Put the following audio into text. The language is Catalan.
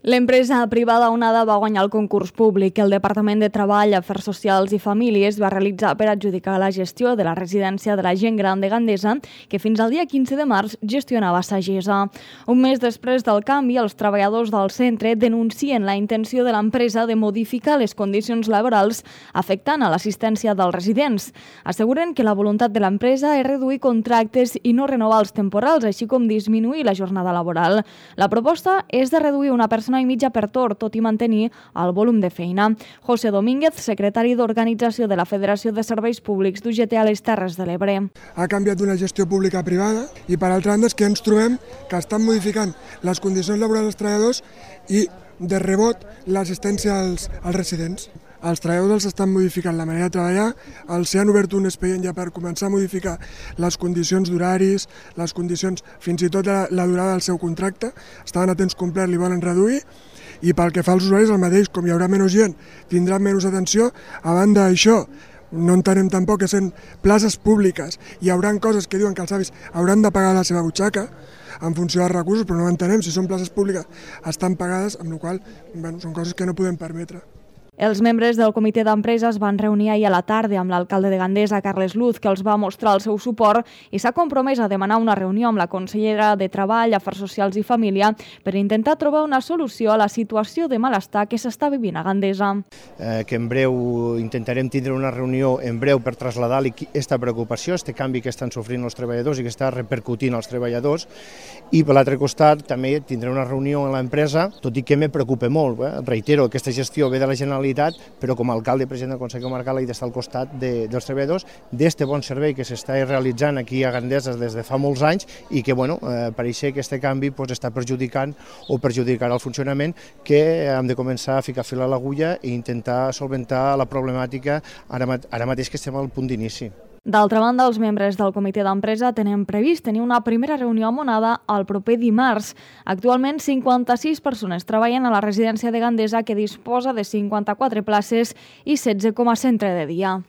L'empresa privada Onada va guanyar el concurs públic que el Departament de Treball, Afers Socials i Famílies va realitzar per adjudicar la gestió de la residència de la gent gran de Gandesa, que fins al dia 15 de març gestionava Sagesa. Un mes després del canvi, els treballadors del centre denuncien la intenció de l'empresa de modificar les condicions laborals afectant a l'assistència dels residents. Asseguren que la voluntat de l'empresa és reduir contractes i no renovar els temporals, així com disminuir la jornada laboral. La proposta és de reduir una persona i mitja per torn, tot i mantenir el volum de feina. José Domínguez, secretari d'Organització de la Federació de Serveis Públics d'UGT a les Terres de l'Ebre. Ha canviat d'una gestió pública a privada i, per altra banda, és que ens trobem que estan modificant les condicions laborals dels treballadors i, de rebot, l'assistència als residents. Els treballadors els estan modificant la manera de treballar, els han obert un expedient ja per començar a modificar les condicions d'horaris, les condicions, fins i tot la durada del seu contracte, estaven a temps complet, li volen reduir, i pel que fa als usuaris el mateix, com hi haurà menys gent, tindran menys atenció. A banda d'això, no entenem tampoc que sent places públiques hi haurà coses que diuen que els avis hauran de pagar la seva butxaca en funció dels recursos, però no entenem si són places públiques estan pagades, amb la qual cosa són coses que no podem permetre. Els membres del comitè d'empresa es van reunir ahir a la tarda amb l'alcalde de Gandesa, Carles Luz, que els va mostrar el seu suport i s'ha compromès a demanar una reunió amb la consellera de Treball, Afers Socials i Família per intentar trobar una solució a la situació de malestar que s'està vivint a Gandesa. Que en breu intentarem tindre una reunió en breu per traslladar aquesta preocupació, aquest canvi que estan sofrint els treballadors i que està repercutint als treballadors, i per l'altre costat també tindré una reunió amb l'empresa, tot i que me preocupa molt. Reitero, aquesta gestió ve de la Generalitat, però com a alcalde i president del Consell Comarcal he d'estar al costat dels treballadors d'aquest bon servei que s'està realitzant aquí a Gandesa des de fa molts anys i que pareix que aquest canvi està perjudicant o perjudicarà el funcionament, que hem de començar a ficar fil a l'agulla i intentar solventar la problemàtica ara mateix que estem al punt d'inici. D'altra banda, els membres del comitè d'empresa tenen previst tenir una primera reunió amb Onada el proper dimarts. Actualment, 56 persones treballen a la residència de Gandesa, que disposa de 54 places i 16 com a centre de dia.